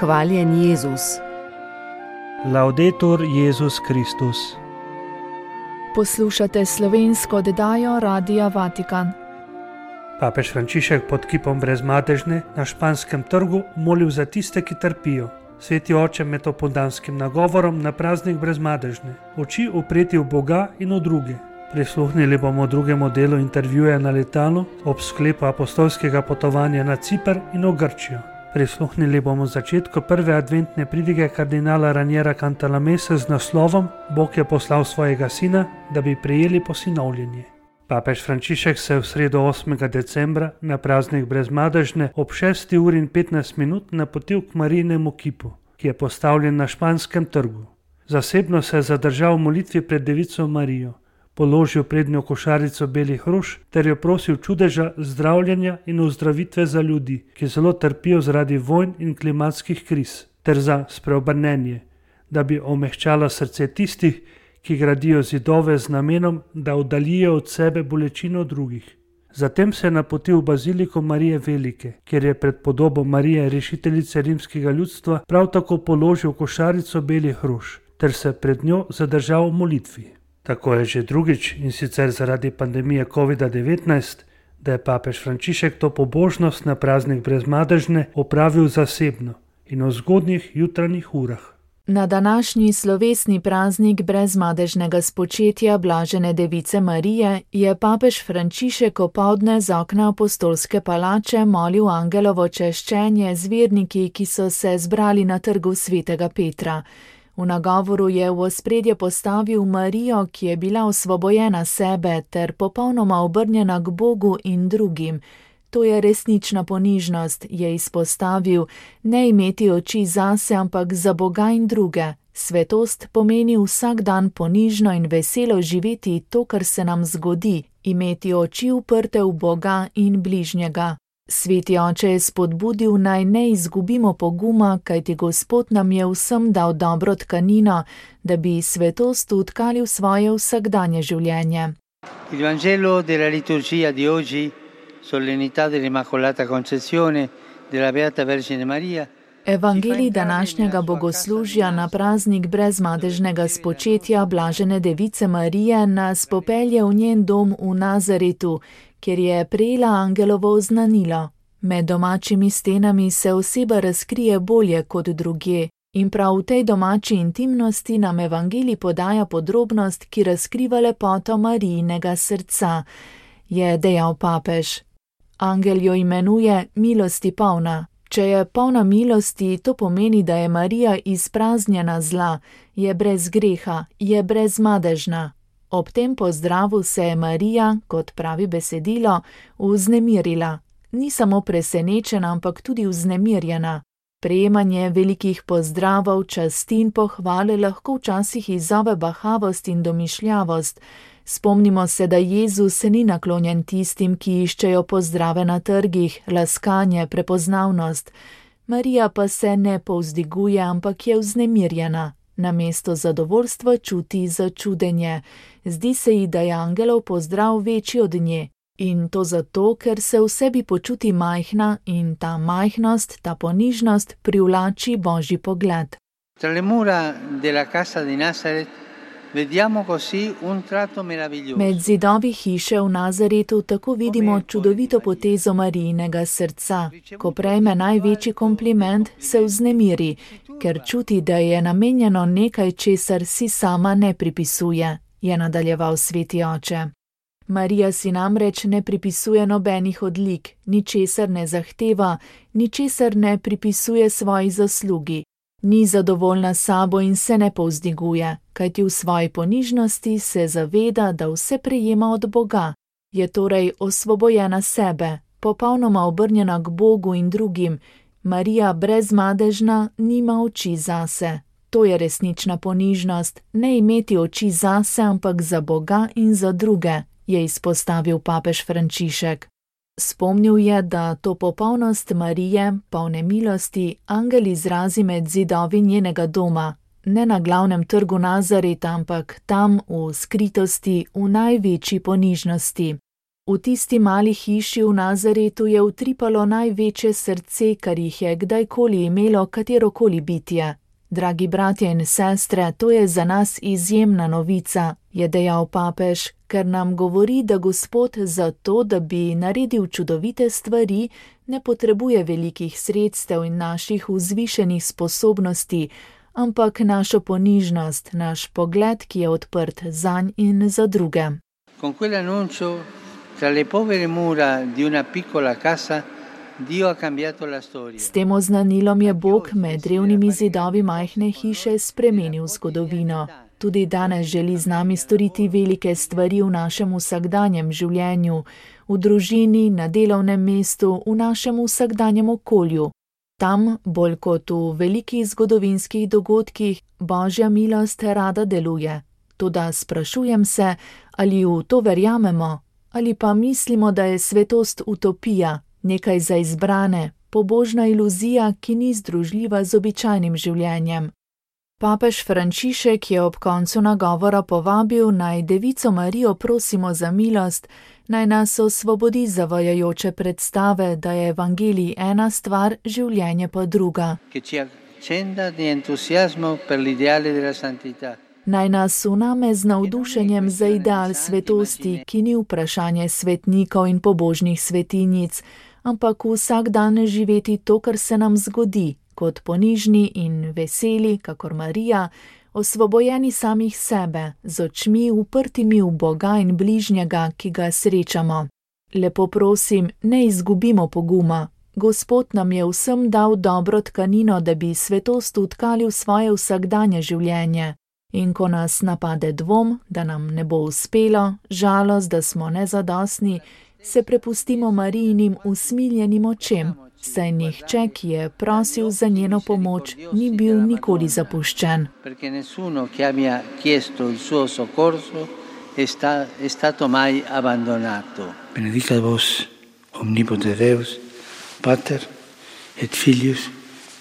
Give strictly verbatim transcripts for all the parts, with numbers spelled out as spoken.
Hvaljen Jezus. Laudetur Jezus Kristus. Poslušate slovensko oddajo Radia Vatikan. Papež Frančišek pod kipom Brezmadežne na Španskem trgu molil za tiste, ki trpijo. Sveti oče med opoldanskim nagovorom na praznik Brezmadežne. Oči upreti v Boga in v druge. Prisluhnili bomo drugemu delu intervjuja na letalu ob sklepu apostolskega potovanja na Ciper in v Grčijo. Prisluhnili bomo začetku prve adventne pridige kardinala Raniera Cantalamesse z naslovom Bog je poslal svojega sina, da bi prejeli posinovljenje. Papež Frančišek se je v sredo osmega decembra na praznik Brezmadežne ob šesti uri in petnajst minut napotil k Marijinemu kipu, ki je postavljen na Španskem trgu. Zasebno se je zadržal v molitvi pred Devico Marijo, položil prednjo košarico belih rož ter jo prosil čudeža zdravljenja in ozdravitve za ljudi, ki zelo trpijo zaradi vojn in klimatskih kriz, ter za spreobrnenje, da bi omehčala srce tistih, ki gradijo zidove z namenom, da oddaljijo od sebe bolečino drugih. Zatem se je napotil v baziliko Marije Velike, kjer je pred podobo Marije, rešiteljice rimskega ljudstva, prav tako položil košarico belih rož, ter se pred njo zadržal v molitvi. Tako je že drugič, in sicer zaradi pandemije kovida devetnajst, da je papež Frančišek to pobožnost na praznik Brezmadežne opravil zasebno in v zgodnjih jutranjih urah. Na današnji slovesni praznik brezmadežnega spočetja blažene Device Marije je papež Frančišek opoldne z okna apostolske palače molil angelovo češčenje z verniki, ki so se zbrali na trgu svetega Petra. V nagovoru je v ospredje postavil Marijo, ki je bila osvobojena sebe ter popolnoma obrnjena k Bogu in drugim. To je resnična ponižnost, je izpostavil, ne imeti oči zase, ampak za Boga in druge. Svetost pomeni vsak dan ponižno in veselo živeti to, kar se nam zgodi, imeti oči uprte v Boga in bližnjega. Sveti oče je spodbudil, naj ne izgubimo poguma, kajti Gospod nam je vsem dal dobro tkanino, da bi svetost utkali v svoje vsakdanje življenje. Il Vangelo della liturgia di oggi, solennità dell'Immacolata Concezione della Beata Vergine Maria. Evangelij današnjega bogoslužja na praznik brezmadežnega spočetja blažene Device Marije nas popelje v njen dom v Nazaretu, kjer je prejela angelovo oznanilo. Med domačimi stenami se oseba razkrije bolje kot drugje in prav v tej domači intimnosti nam Evangelij podaja podrobnost, ki razkriva lepoto Marijinega srca, je dejal papež. Angel jo imenuje milosti polna. Če je polna milosti, to pomeni, da je Marija izpraznjena zla, je brez greha, je brezmadežna. Ob tem pozdravu se je Marija, kot pravi besedilo, vznemirila. Ni samo presenečena, ampak tudi vznemirjena. Prejemanje velikih pozdravov, časti in pohvale lahko včasih izzove bahavost in domišljavost. Spomnimo se, da Jezus se ni naklonjen tistim, ki iščejo pozdrave na trgih, laskanje, prepoznavnost. Marija pa se ne povzdiguje, ampak je vznemirjena. Namesto zadovoljstva čuti začudenje. Zdi se ji, da je angelov pozdrav večji od nje. In to zato, ker se v sebi počuti majhna in ta majhnost, ta ponižnost privlači Božji pogled. Tra le mura della casa di Nazaret vediamo così un tratto meraviglioso. Med zidovi hiše v Nazaretu tako vidimo čudovito potezo Marijinega srca. Ko prejme največji kompliment, se vznemiri, ker čuti, da je namenjeno nekaj, česar si sama ne pripisuje, je nadaljeval sveti oče. Marija si namreč ne pripisuje nobenih odlik, ničesar ne zahteva, ničesar ne pripisuje svoji zaslugi. Ni zadovoljna sabo in se ne povzdiguje, kajti v svoji ponižnosti se zaveda, da vse prejema od Boga. Je torej osvobojena sebe, popolnoma obrnjena k Bogu in drugim. Marija brezmadežna nima oči zase. To je resnična ponižnost, ne imeti oči zase, ampak za Boga in za druge, je izpostavil papež Frančišek. Spomnil je, da to popolnost Marije, polne milosti, angel izrazi med zidovi njenega doma, ne na glavnem trgu Nazareta, ampak tam v skritosti, v največji ponižnosti. V tisti mali hiši v Nazaretu je utripalo največje srce, kar jih je kdajkoli imelo katerokoli bitje. Dragi bratje in sestre, to je za nas izjemna novica, je dejal papež, ker nam govori, da Gospod za to, da bi naredil čudovite stvari, ne potrebuje velikih sredstev in naših vzvišenih sposobnosti, ampak našo ponižnost, naš pogled, ki je odprt zanj in za druge. Con quell'annuncio, tra le povere mura di una piccola casa, Dio ha cambiato la storia. S tem oznanilom je Bog med revnimi zidovi majhne hiše spremenil zgodovino. Tudi danes želi z nami storiti velike stvari v našem vsakdanjem življenju, v družini, na delovnem mestu, v našem vsakdanjem okolju. Tam, bolj kot v velikih zgodovinskih dogodkih, Božja milost rada deluje. Toda sprašujem se, ali v to verjamemo, ali pa mislimo, da je svetost utopija, nekaj za izbrane, pobožna iluzija, ki ni združljiva z običajnim življenjem. Papež Frančišek je ob koncu nagovora povabil, naj Devico Marijo prosimo za milost, naj nas osvobodi zavajajoče predstave, da je evangelij ena stvar, življenje pa druga. Naj nas uname z navdušenjem za ideal svetosti, ki ni vprašanje svetnikov in pobožnih svetinjic, ampak vsak dan živeti to, kar se nam zgodi, kot ponižni in veseli, kakor Marija, osvobojeni samih sebe, z očmi uprtimi v Boga in bližnjega, ki ga srečamo. Lepo prosim, ne izgubimo poguma. Gospod nam je vsem dal dobro tkanino, da bi svetost utkali v svoje vsakdanje življenje. In ko nas napade dvom, da nam ne bo uspelo, žalost, da smo nezadostni, se prepustimo Marijinim usmiljenim očem, saj nihče, ki je prosil za njeno pomoč, ni bil nikoli zapuščen. Perché nessuno che abbia chiesto il suo soccorso è, sta, è stato mai abbandonato. Benedicat vos omnipotens Deus, Pater et Filius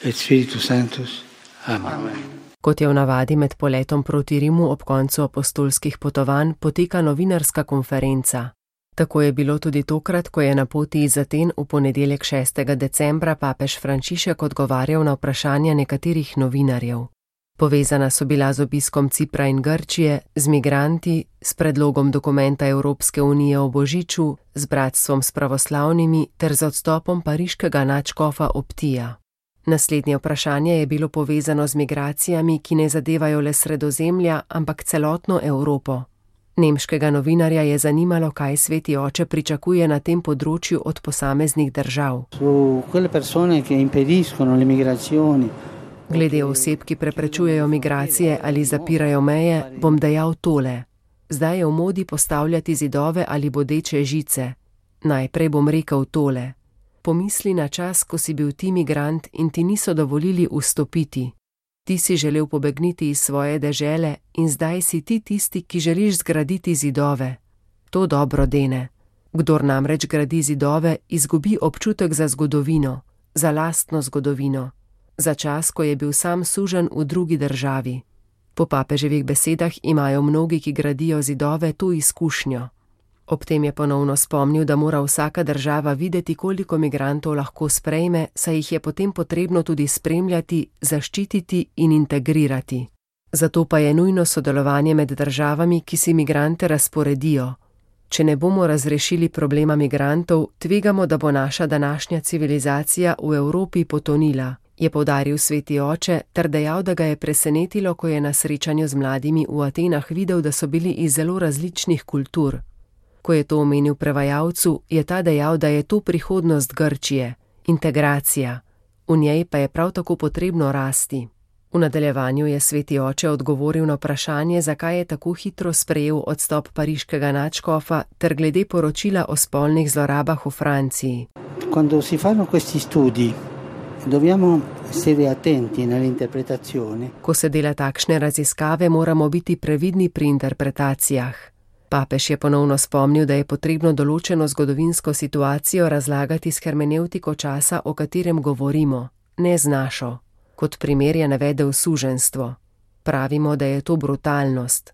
et Spiritus Sanctus. Amen. Amen. Kot je v navadi med poletom proti Rimu ob koncu apostolskih potovanj, poteka novinarska konferenca. Tako je bilo tudi tokrat, ko je na poti iz Aten v ponedeljek šestega decembra papež Frančišek odgovarjal na vprašanja nekaterih novinarjev. Povezana so bila z obiskom Cipra in Grčije, z migranti, s predlogom dokumenta Evropske unije o Božiču, z bratstvom s pravoslavnimi ter z odstopom pariškega nadškofa Optija. Naslednje vprašanje je bilo povezano z migracijami, ki ne zadevajo le Sredozemlja, ampak celotno Evropo. Nemškega novinarja je zanimalo, kaj Sveti Oče pričakuje na tem področju od posameznih držav. Glede oseb, ki preprečujejo migracije ali zapirajo meje, bom dejal tole. Zdaj je v modi postavljati zidove ali bodeče žice. Najprej bom rekel tole. Pomisli na čas, ko si bil ti migrant in ti niso dovolili vstopiti. Ti si želel pobegniti iz svoje dežele in zdaj si ti tisti, ki želiš zgraditi zidove. To dobro dene. Kdor namreč gradi zidove, izgubi občutek za zgodovino, za lastno zgodovino, za čas, ko je bil sam suženj v drugi državi. Po papeževih besedah imajo mnogi, ki gradijo zidove, to izkušnjo. Ob tem je ponovno spomnil, da mora vsaka država videti, koliko migrantov lahko sprejme, saj jih je potem potrebno tudi spremljati, zaščititi in integrirati. Zato pa je nujno sodelovanje med državami, ki si migrante razporedijo. Če ne bomo razrešili problema migrantov, tvegamo, da bo naša današnja civilizacija v Evropi potonila, je poudaril Sveti Oče ter dejal, da ga je presenetilo, ko je na srečanju z mladimi v Atenah videl, da so bili iz zelo različnih kultur. Ko je to omenil prevajalcu, je ta dejal, da je to prihodnost Grčije, integracija. V njej pa je prav tako potrebno rasti. V nadaljevanju je Sveti Oče odgovoril na vprašanje, zakaj je tako hitro sprejel odstop pariškega nadškofa ter glede poročila o spolnih zlorabah v Franciji. Quando si fanno questi studi, dobbiamo essere attenti nell'interpretazione. Ko se dela takšne raziskave, moramo biti previdni pri interpretacijah. Papež je ponovno spomnil, da je potrebno določeno zgodovinsko situacijo razlagati s hermenevtiko časa, o katerem govorimo, ne z našo. Kot primer je navedel suženjstvo. Pravimo, da je to brutalnost.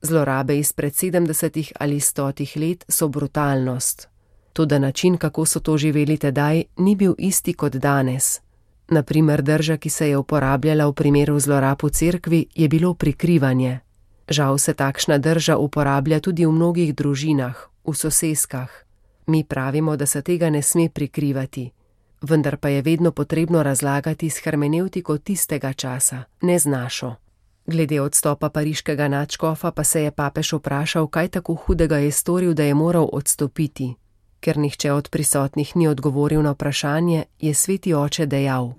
Zlorabe izpred sedemdesetih ali stotih let so brutalnost. Toda način, kako so to živeli tedaj, ni bil isti kot danes. Naprimer, drža, ki se je uporabljala v primeru zlorab v cerkvi, je bilo prikrivanje. Žal se takšna drža uporablja tudi v mnogih družinah, v soseskah. Mi pravimo, da se tega ne sme prikrivati. Vendar pa je vedno potrebno razlagati s hermenevtiko tistega časa, ne z našo. Glede odstopa pariškega nadškofa pa se je papež vprašal, kaj tako hudega je storil, da je moral odstopiti. Ker nihče od prisotnih ni odgovoril na vprašanje, je sveti oče dejal: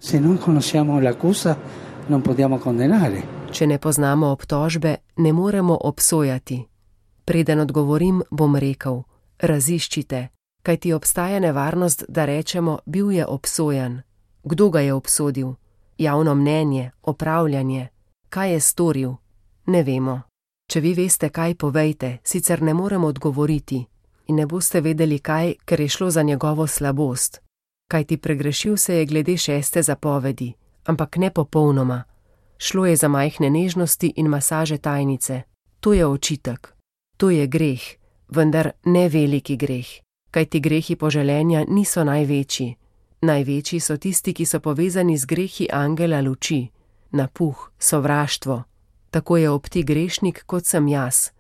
Če ne poznamo obtožbe, ne moremo obsojati. Preden odgovorim, bom rekel: raziščite, kajti obstaja nevarnost, da rečemo, bil je obsojen. Kdo ga je obsodil? Javno mnenje, opravljanje. Kaj je storil? Ne vemo. Če vi veste kaj, povejte, sicer ne moremo odgovoriti. In ne boste vedeli kaj, ker je šlo za njegovo slabost. Kajti pregrešil se je glede šeste zapovedi, ampak ne popolnoma. Šlo je za majhne nežnosti in masaže tajnice. To je očitek. To je greh, vendar ne veliki greh. Kajti grehi poželenja niso največji. Največji so tisti, ki so povezani z grehi angela luči. Napuh, sovraštvo. Tako je ob ti grešnik, kot sem jaz.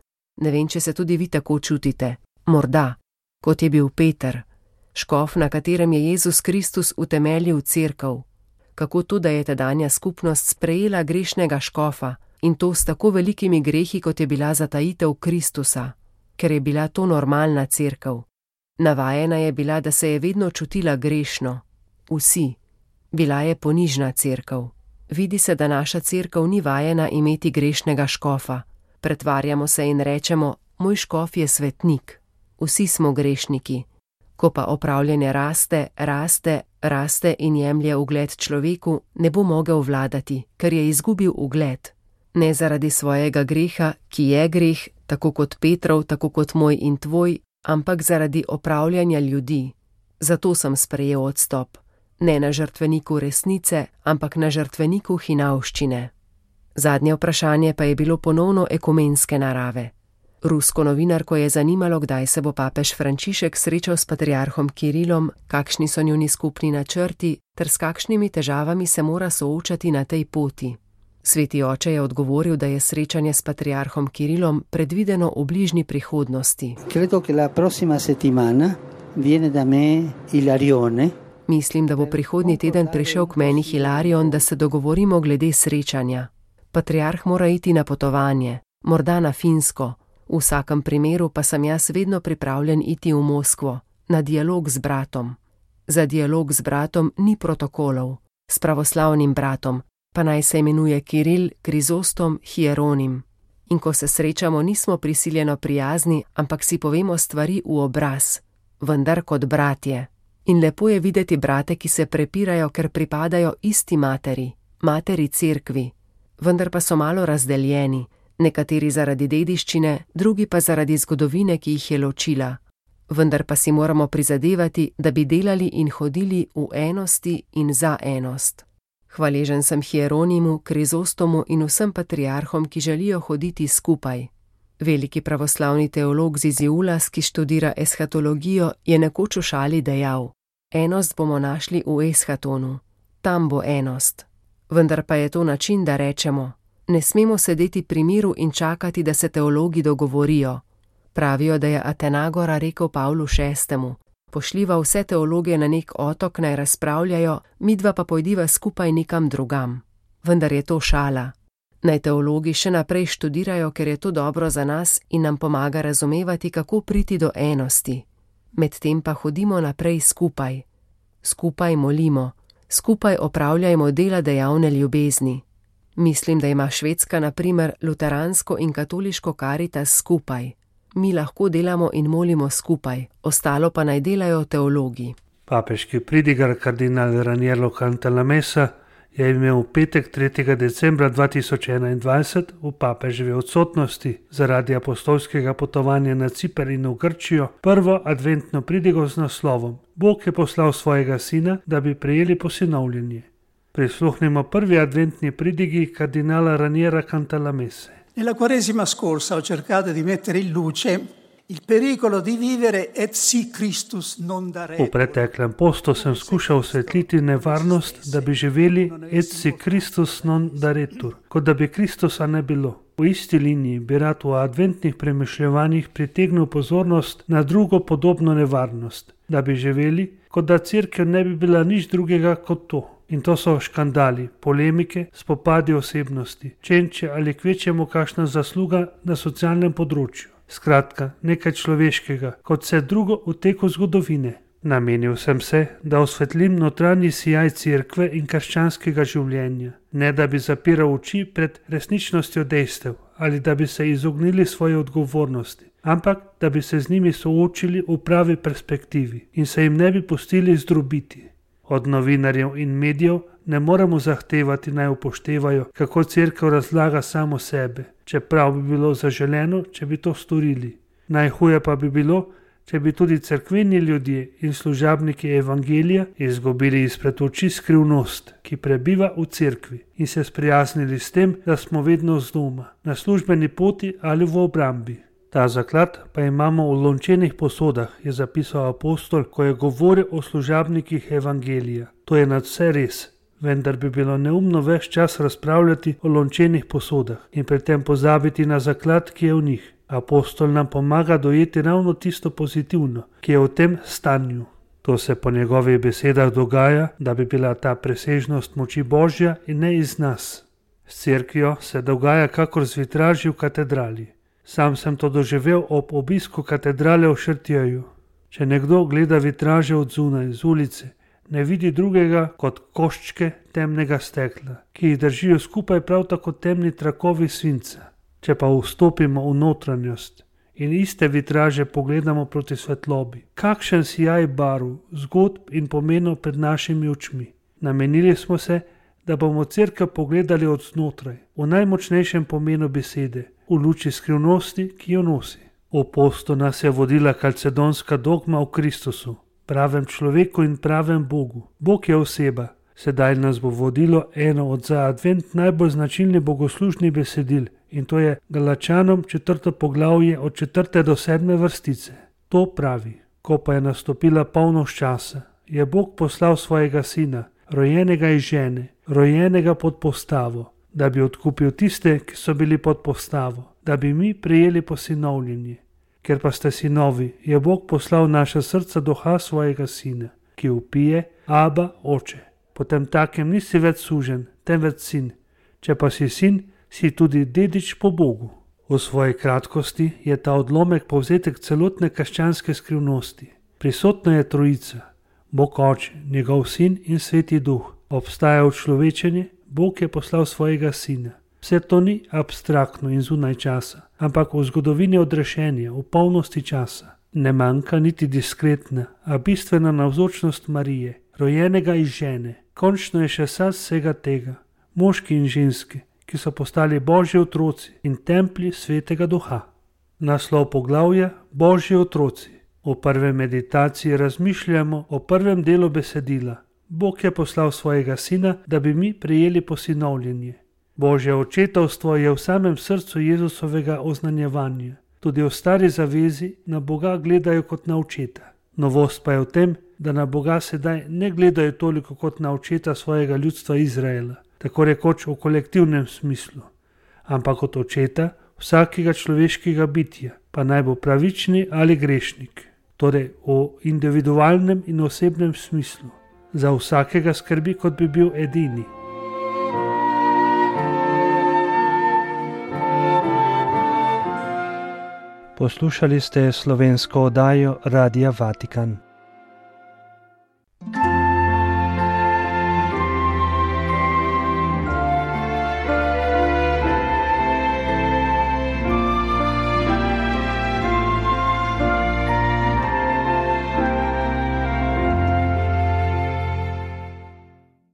Ne vem, če se tudi vi tako čutite. Morda, kot je bil Peter, škof, na katerem je Jezus Kristus utemeljil cerkev. Kako to, da je tedanja skupnost sprejela grešnega škofa in to s tako velikimi grehi, kot je bila zatajitev Kristusa, ker je bila to normalna cerkev. Navajena je bila, da se je vedno čutila grešno. Vsi. Bila je ponižna cerkev. Vidi se, da naša cerkev ni vajena imeti grešnega škofa. Pretvarjamo se in rečemo: moj škof je svetnik. Vsi smo grešniki. Ko pa opravljanje raste, raste, raste in jemlje ugled človeku, ne bo mogel vladati, ker je izgubil ugled. Ne zaradi svojega greha, ki je greh, tako kot Petrov, tako kot moj in tvoj, ampak zaradi opravljanja ljudi. Zato sem sprejel odstop. Ne na žrtveniku resnice, ampak na žrtveniku hinavščine. Zadnje vprašanje pa je bilo ponovno ekumenske narave. Rusko novinarko je zanimalo, kdaj se bo papež Frančišek srečal s patriarhom Kirilom, kakšni so njuni skupni načrti, ter s kakšnimi težavami se mora soočati na tej poti. Sveti oče je odgovoril, da je srečanje s patriarhom Kirilom predvideno v bližnji prihodnosti. Credo che la prossima settimana viene da me Ilarione. Mislim, da bo prihodnji teden prišel k meni Hilarion, da se dogovorimo glede srečanja. Patriarh mora iti na potovanje, morda na Finsko. V vsakem primeru pa sem jaz vedno pripravljen iti v Moskvo, na dialog z bratom. Za dialog z bratom ni protokolov, s pravoslavnim bratom, pa naj se imenuje Kiril, Krizostom, Hieronim. In ko se srečamo, nismo prisiljeno prijazni, ampak si povemo stvari v obraz, vendar kot bratje. In lepo je videti brate, ki se prepirajo, ker pripadajo isti materi, materi cerkvi, vendar pa so malo razdeljeni. Nekateri zaradi dediščine, drugi pa zaradi zgodovine, ki jih je ločila. Vendar pa si moramo prizadevati, da bi delali in hodili v enosti in za enost. Hvaležen sem Hieronimu, Krizostomu in vsem patriarhom, ki želijo hoditi skupaj. Veliki pravoslavni teolog Ziziulas, ki študira eshatologijo, je nekoč v šali dejal: enost bomo našli v eshatonu. Tam bo enost. Vendar pa je to način, da rečemo: ne smemo sedeti pri miru in čakati, da se teologi dogovorijo. Pravijo, da je Atenagora rekel Pavlu šestemu: pošljiva vse teologe na nek otok, naj razpravljajo, midva pa pojdiva skupaj nekam drugam. Vendar je to šala. Naj teologi še naprej študirajo, ker je to dobro za nas in nam pomaga razumevati, kako priti do enosti. Medtem pa hodimo naprej skupaj. Skupaj molimo, skupaj opravljajmo dela dejavne ljubezni. Mislim, da ima Švedska na primer luteransko in katoliško karitas skupaj. Mi lahko delamo in molimo skupaj, ostalo pa naj delajo teologi. Papeški pridigar kardinal Raniero Cantalamessa je imel v petek tretjega decembra dva tisoč enaindvajset v papeževi odsotnosti zaradi apostolskega potovanja na Ciper in v Grčijo prvo adventno pridigo z naslovom Bog je poslal svojega sina, da bi prejeli posinovljenje. Prisluhnimo prvi adventni pridigi kardinala Raniera Cantalamesse. Nella Quaresima scorsa ho cercato di mettere in luce il pericolo di vivere et si Christus non dare. V preteklem postu sem skušal osvetliti nevarnost, da bi živeli et si Christus non daretur, kot da bi Kristusa ne bilo. V isti liniji bi rad v adventnih premišljevanjih pritegnil pozornost na drugo podobno nevarnost, da bi živeli, kot da cerkev ne bi bila nič drugega kot to. In to so škandali, polemike, spopadi osebnosti, čenče ali kvečjemu kakšna zasluga na socialnem področju. Skratka, nekaj človeškega, kot vse drugo v teku zgodovine. Namenil sem se, da osvetlim notranji sijaj cerkve in krščanskega življenja, ne da bi zapiral oči pred resničnostjo dejstev ali da bi se izognili svoje odgovornosti, ampak da bi se z njimi soočili v pravi perspektivi in se jim ne bi pustili zdrobiti. Od novinarjev in medijev ne moremo zahtevati, naj upoštevajo, kako cerkev razlaga samo sebe, čeprav bi bilo zaželeno, če bi to storili. Najhuje pa bi bilo, če bi tudi cerkveni ljudje in služabniki evangelija izgubili izpred oči skrivnost, ki prebiva v cerkvi, in se sprijaznili s tem, da smo vedno z doma, na službeni poti ali v obrambi. Ta zaklad pa imamo v lončenih posodah, je zapisal apostol, ko je govoril o služabnikih evangelija. To je nadvse res, vendar bi bilo neumno ves čas razpravljati o lončenih posodah in pri tem pozabiti na zaklad, ki je v njih. Apostol nam pomaga dojeti ravno tisto pozitivno, ki je v tem stanju. To se po njegovih besedah dogaja, da bi bila ta presežnost moči Božja in ne iz nas. S cerkvijo se dogaja kakor z vitraži v katedrali. Sam sem to doživel ob obisku katedrale v Šrtjeju. Če nekdo gleda vitraže od zunaj, z ulice, ne vidi drugega kot koščke temnega stekla, ki jih držijo skupaj prav tako temni trakovi svinca. Če pa vstopimo v notranjost in iste vitraže pogledamo proti svetlobi, kakšen sijaj barv, zgodb in pomenov pred našimi očmi. Namenili smo se, da bomo cerkev pogledali od znotraj, v najmočnejšem pomenu besede, v luči skrivnosti, ki jo nosi. V postu nas je vodila kalcedonska dogma o Kristusu, pravem človeku in pravem Bogu. Bog je oseba. Sedaj nas bo vodilo eno od za advent najbolj značilnih bogoslužnih besedil, in to je Galačanom četrto poglavje od četrte do sedme vrstice. To pravi: ko pa je nastopila polnoč časa, je Bog poslal svojega sina, rojenega iz žene, rojenega pod postavo, da bi odkupil tiste, ki so bili pod postavo, da bi mi prejeli posinovljenje. Ker pa ste sinovi, je Bog poslal v naša srca duha svojega sina, ki vpije: Aba, oče. Potem takem nisi več suženj, temveč sin. Če pa si sin, si tudi dedič po Bogu. V svoji kratkosti je ta odlomek povzetek celotne krščanske skrivnosti. Prisotna je trojica, Bog Oče, njegov sin in sveti duh. Obstaja učlovečenje, Bog je poslal svojega sina. Vse to ni abstraktno in zunaj časa, ampak v zgodovini odrešenja, v polnosti časa. Ne manjka niti diskretna, a bistvena navzočnost Marije, rojenega iz žene. Končno je še sad vsega tega, moški in ženske, ki so postali Božji otroci in templji svetega duha. Naslov poglavja: Božji otroci. V prvi meditaciji razmišljamo o prvem delu besedila. Bog je poslal svojega sina, da bi mi prejeli posinovljenje. Božje očetovstvo je v samem srcu Jezusovega oznanjevanja. Tudi v stari zavezi na Boga gledajo kot na očeta. Novost pa je v tem, da na Boga sedaj ne gledajo toliko kot na očeta svojega ljudstva Izraela, tako rekoč v kolektivnem smislu, ampak kot očeta vsakega človeškega bitja, pa naj bo pravični ali grešnik, torej v individualnem in osebnem smislu. Za vsakega skrbi, kot bi bil edini. Poslušali ste slovensko oddajo Radia Vatikan.